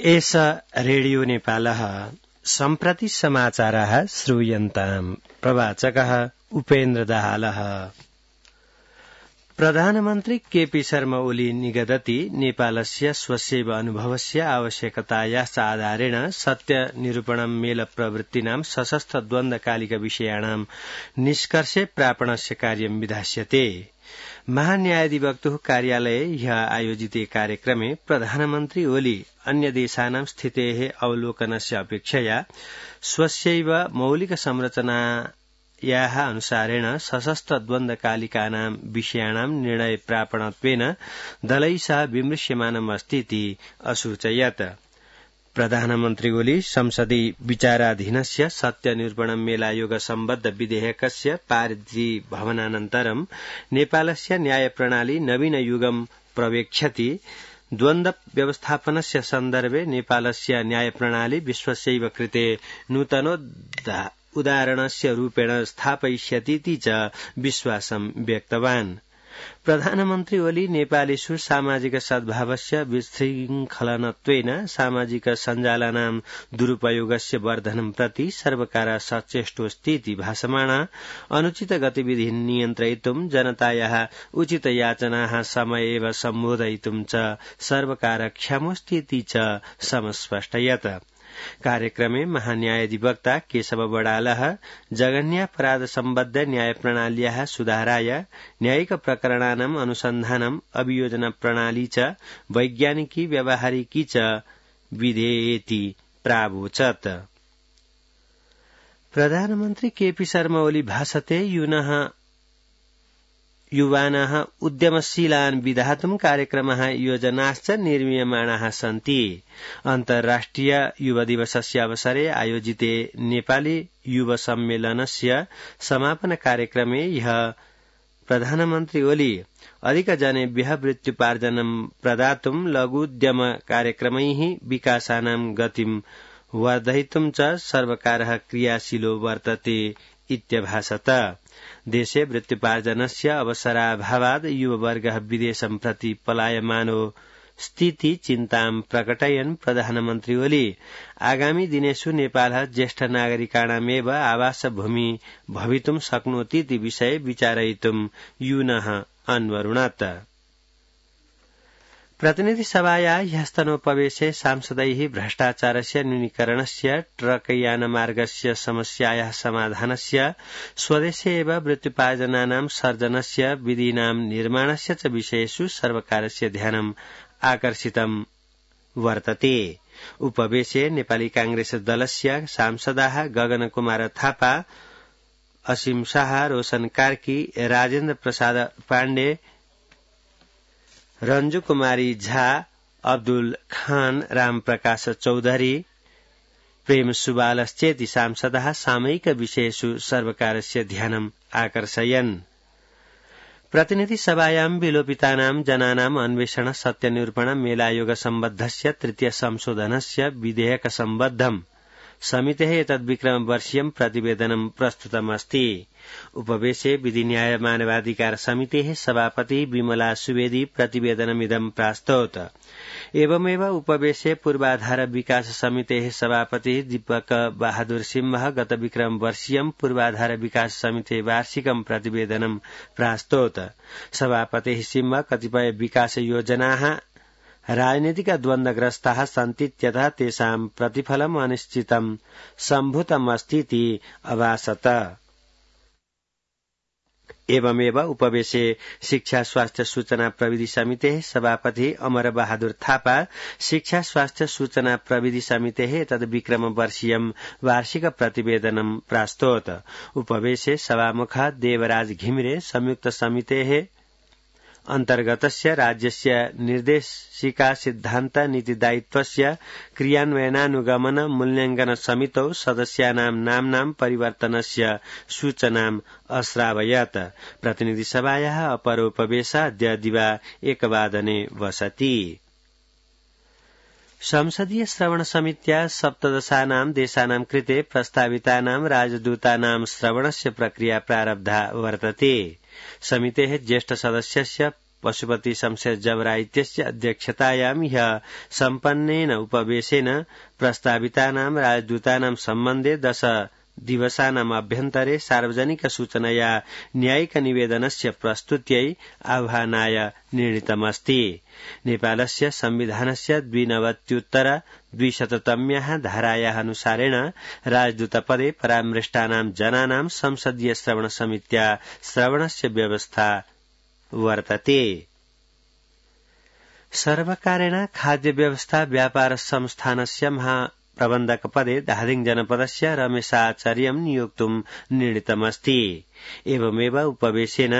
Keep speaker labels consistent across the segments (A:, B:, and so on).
A: एष रेडियो नेपालः सम्प्रति समाचारः श्रूयन्ताम्। प्रवाचकः उपेन्द्र दाहालः। प्रधानमन्त्री केपी शर्मा ओली निगदति नेपालस्य स्वस्यैव अनुभवस्य आवश्यकतायाश्च आधारेण सत्य निरूपणं मेल प्रवृत्तीनां सशस्त्र द्वन्द्वकालिक विषयाणां निष्कर्षे प्रापणस्य कार्यं विधास्यते। महान्यायाधिवक्तुः कार्यालये ह्यः आयोजिते कार्यक्रमे प्रधानमन्त्री ओली अन्य देशानां स्थितेः अवलोकनस्य अपेक्षया स्वस्यैव मौलिक संरचनायाः अनुसारेण सशस्त्र द्वन्द्वकालिकानां विषयाणां निर्णय प्रापणत्वेन दलैः सह विमृश्यमानमस्ति इति असूचयत्। प्रधानमन्त्री ओली संसदि विचाराधीनस्य सत्य निरूपण मेलायोग सम्बद्ध विधेयकस्य पारितभवनानन्तरं नेपालस्य न्याय प्रणाली नवीन युगं प्रवेक्षति। द्वन्द्व व्यवस्थापनस्य सन्दर्भे नेपालस्य न्याय प्रणाली विश्वस्यैव कृते नूतनोदाहरणस्य रूपेण स्थापयिष्यतीति च विश्वासं व्यक्तवान्। प्रधानमन्त्री ओली नेपालेषु सामाजिक सद्भावस्य विशृङ्खलनत्वेन सामाजिक सञ्जालानां दुरुपयोगस्य वर्धनं प्रति सर्वकारः सचेष्टोऽस्ति इति भाषमाणा अनुचित गतिविधि नियन्त्रयितुं जनतायाः उचित याचनाः समयेव सम्बोधयितुं च सर्वकारः क्षमोऽस्ति इति च समस्पष्टयत्। कार्यक्रमे महान्यायाधिवक्ता केशव बडालः जघन्यापराध सम्बद्ध न्याय प्रणाल्याः सुधाराय न्यायिक प्रकरणानाम् अनुसन्धानम् अभियोजन प्रणाली च वैज्ञानिकी व्यावहारिकी च विधेयेति प्रावोचत्। प्रधानमन्त्री केपी शर्मा ओली भाषते युवानः उद्यमशीलान् विधातुं कार्यक्रमः योजनाश्च निर्मीयमाणाः सन्ति। अन्तर्राष्ट्रिय युवा दिवसस्य अवसरे आयोजिते नेपाली युवा सम्मेलनस्य समापन कार्यक्रमे ह्यः प्रधानमन्त्री ओली अधिकजनेभ्यः वृत्त्युपार्जनं प्रदातुं लघुद्यम कार्यक्रमैः विकासानां गतिं वर्धयितुं च सर्वकारः क्रियाशीलो वर्तते इत्यभाषत। देशे वृत्त्युपार्जनस्य अवसराभावात् युववर्गः विदेशं प्रति पलायमानो स्थिति चिन्तां प्रकटयन् प्रधानमन्त्री ओली आगामी दिनेषु नेपालः ज्येष्ठ नागरिकाणामेव आवासभूमि भवितुं शक्नोति इति विषये विचारयितुं यूनः अन्वरुणत्। प्रतिनिधि सभाया ह्यस्तनोपवेशे सांसदैः भ्रष्टाचारस्य न्यूनीकरणस्य ट्रकयानमार्गस्य समस्यायाः समाधानस्य स्वदेशे एव वृत्त्युपार्जनानां सर्जनस्य विधीनां निर्माणस्य च विषयेषु सर्वकारस्य ध्यानम् आकर्षितं वर्तते। उपवेशे नेपाली कांग्रेस दलस्य सांसदाः गगन कुमार थापा, असीम शाह, रोशन कार्की, राजेन्द्र प्रसाद पाण्डे, रंजू कुमारी झा, अब्दुल खान, राम प्रकाश चौधरी, प्रेम सुबालश्चेति सांसदाः सामयिक विषयेषु सर्वकारस्य ध्यानम् आकर्षयन्। प्रतिनिधि सभायां विलोपितानां जनानाम् अन्वेषण सत्य निरूपण मेलायोग सम्बद्धस्य तृतीय संशोधनस्य विधेयक सम्बद्धम् समितेः एतद्विक्रमवर्षीयं प्रतिवेदनं प्रस्तुतमस्ति। उपवेशे विधि न्याय मानवाधिकार समितेः सभापति विमला सुवेदी प्रतिवेदनमिदं प्रास्तौत। एवमेव उपवेशे पूर्वाधार विकास समितेः सभापति दीपक बहादुर सिंह गत विक्रमवर्षीयं पूर्वाधार विकास समितेः वार्षिकं प्रतिवेदनं प्रास्तौत। सभापतिः सिंह कतिपय विकास योजनाः राजनीतिक द्वन्द्वग्रस्ताः सन्ति इत्यतः तेषां प्रतिफलम् अनिश्चितं सम्भूतमस्तीति अभाषत। एवमेव उपवेशे शिक्षा स्वास्थ्य सूचना प्रविधि समितेः सभापति अमर बहादुर थापा शिक्षा स्वास्थ्य सूचना प्रविधि समितेः एतद्विक्रमवर्षीयं वार्षिक प्रतिवेदनं प्रास्तौत। उपवेशे सभामुख देवराज घिमिरे संयुक्त समितेः अन्तर्गतस्य राज्यस्य निर्देशिका सिद्धान्त नीतिदायित्वस्य क्रियान्वयनानुगमन मूल्याङ्कन समितौ सदस्यानां नाम्नां परिवर्तनस्य सूचनाम् अश्रावयत्। प्रतिनिधि सभायाः अपरोपवेशः अद्य दिवा 1:00 वसति। संसदीय श्रवण समित्या 17 देशानां कृते प्रस्तावितानां राजदूतानां श्रवणस्य प्रक्रिया प्रारब्धा वर्तते। समितेः ज्येष्ठ सदस्यस्य पशुपति शमशेर जबरा इत्यस्य अध्यक्षतायां ह्यः सम्पन्नेन उपवेशेन प्रस्तावितानां राजदूतानां सम्बन्धे 10 दिवसानाम् अभ्यन्तरे सार्वजनिक सूचनया न्यायिक निवेदनस्य प्रस्तुत्यै आह्वानाय निर्णीतमस्ति। नेपालस्य संविधानस्य 92-200तम्याः धारायाः अनुसारेण राजदूतपदे परामृष्टानां जनानां संसदीय श्रवण समित्या श्रवणस्य व्यवस्था वर्तते। सर्वकारेण खाद्य व्यवस्था व्यापार संस्थानस्य प्रबन्धक पदे धादिङ जनपदस्य रमेशाचार्यं नियोक्तुं निर्णीतमस्ति। एवमेव उपवेशेन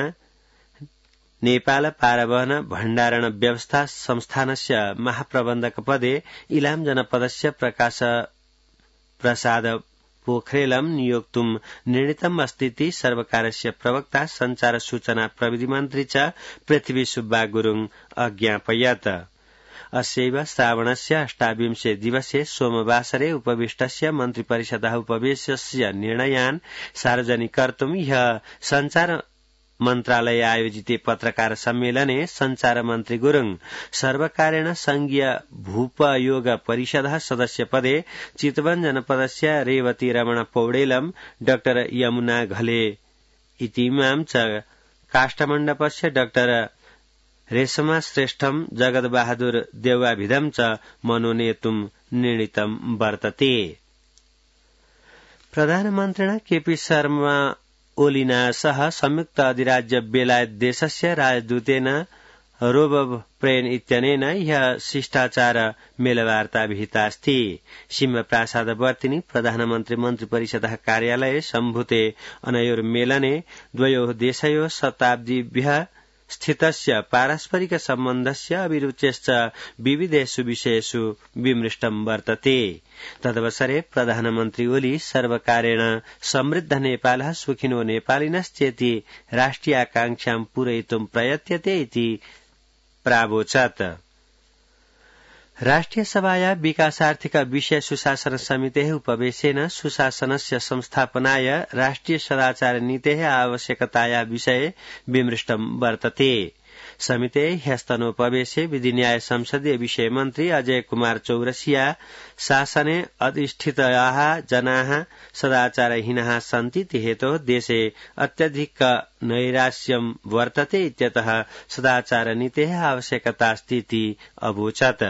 A: नेपाल पारवहन भण्डारण व्यवस्था संस्थानस्य महाप्रबन्धक पदे इलाम जनपदस्य प्रकाश प्रसाद पोखरेलं नियोक्तुं निर्णीतम् अस्तीति सर्वकारस्य प्रवक्ता संचार सूचना प्रविधि मन्त्री च पृथ्वी सुब्बा गुरुङ अज्ञापयत्। अस्यैव श्रावणस्य 28 दिवसे सोमवासरे उपविष्टस्य मन्त्रिपरिषदः उपवेशस्य निर्णयान् सार्वजनिकर्तुं ह्यः संचार मन्त्रालय आयोजिते पत्रकार सम्मेलने संचार मन्त्री गुरुङ सर्वकारेण संघीय भूपयोग परिषदः सदस्य पदे चितवन जनपदस्य रेवती रमण पौडेलं डाक्टर यमुना घले इतीमां च काष्ठमण्डपस्य डाक्टर रेशमा श्रेष्ठम जगत बहादुर देवाभिधम च मनोनेतुं निर्णीतं वर्तते। प्रधानमन्त्रिणा केपी शर्मा ओलीना सह संयुक्त अधिराज्य बेलायत देशस्य राजदूतेन रोबब प्रेन इत्यनेन ह्यः शिष्टाचार मेलवार्ता विहितास्ति। सिंहप्रासादवर्तिनि प्रधानमन्त्री मन्त्रिपरिषदः कार्यालये सम्भूते अनयोर्मेलने द्वयोः देशयोः शताब्दीभ्यः स्थितस्य पारस्परिक सम्बन्धस्य अभिरुचेश्च विविधेषु विषयेषु विमृष्टं वर्तते। तदवसरे प्रधानमन्त्री ओली सर्वकारेण समृद्ध नेपालः सुखिनो नेपालिनश्चेति राष्ट्रियाकांक्षां पूरयितुं प्रयत्यते इति प्रावोचत्। राष्ट्रिय सभाया विकासार्थिक विषय सुशासन समितेः उपवेशेन सुशासनस्य संस्थापनाय राष्ट्रिय सदाचार नीतेः आवश्यकताया विषये विमृष्टं वर्तते। समिते ह्यस्तनोपवेशे विधिन्याय संसदीय विषय मन्त्री अजय कुमार चौरसिया शासने अधिष्ठिताः जनाः सदाचारहीनाः सन्ति इति हेतोः देशे अत्यधिक नैराश्यं वर्तते इत्यतः सदाचार नीतेः आवश्यकतास्ति इति अवोचत्।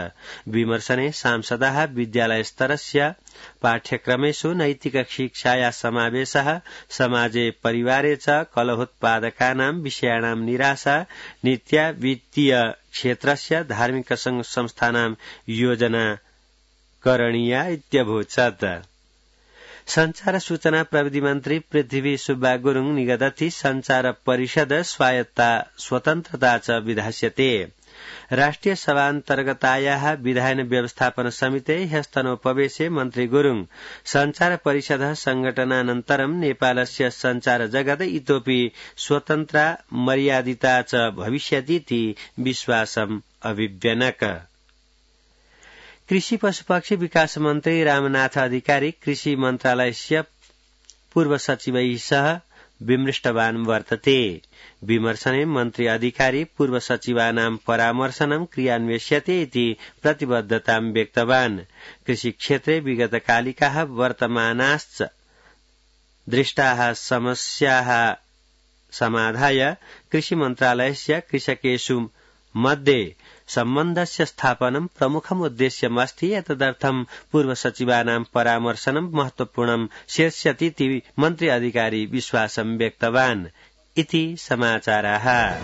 A: विमर्शने सांसदाः विद्यालयस्तरस्य पाठ्यक्रमेषु नैतिक शिक्षाया समावेशः समाजे परिवारे च कलहोत्पादकानां विषयाणां निराशा नीत्या वित्तीय क्षेत्रस्य धार्मिक संस्थानां योजना करणीया इत्यभोचत्। संचार सूचना प्रविधि मन्त्री पृथ्वी सुब्बा गुरुङ निगदति संचार परिषद स्वायत्ता स्वतन्त्रता च विधास्यते। राष्ट्रिय सभान्तर्गतायाः विधायन व्यवस्थापन समिते ह्यस्तनोपवेशे मन्त्री गुरुङ संचार परिषदः संघटनानन्तरं नेपालस्य संचार जगत् इतोपि स्वतन्त्रा मर्यादिता च भविष्यतीति विश्वासम् अभिव्यनक। कृषि पशुपक्षी विकास मन्त्री रामनाथ अधिकारी कृषि मन्त्रालयस्य पूर्व सचिवैः सह विमृष्टवान् वर्तते। विमर्शने मन्त्री अधिकारी पूर्व सचिवानां परामर्शनं क्रियान्वेष्यते इति प्रतिबद्धतां व्यक्तवान्। कृषि क्षेत्रे विगतकालिकाः वर्तमानाश्च दृष्टाः समस्याः समाधाय कृषि मन्त्रालयस्य कृषकेषु मध्ये सम्बन्धस्य स्थापनं प्रमुखम् उद्देश्यमस्ति। एतदर्थं पूर्व सचिवानां परामर्शनं महत्वपूर्णं शीर्ष्यतीति मन्त्री अधिकारी विश्वासं व्यक्तवान् इति समाचाराः।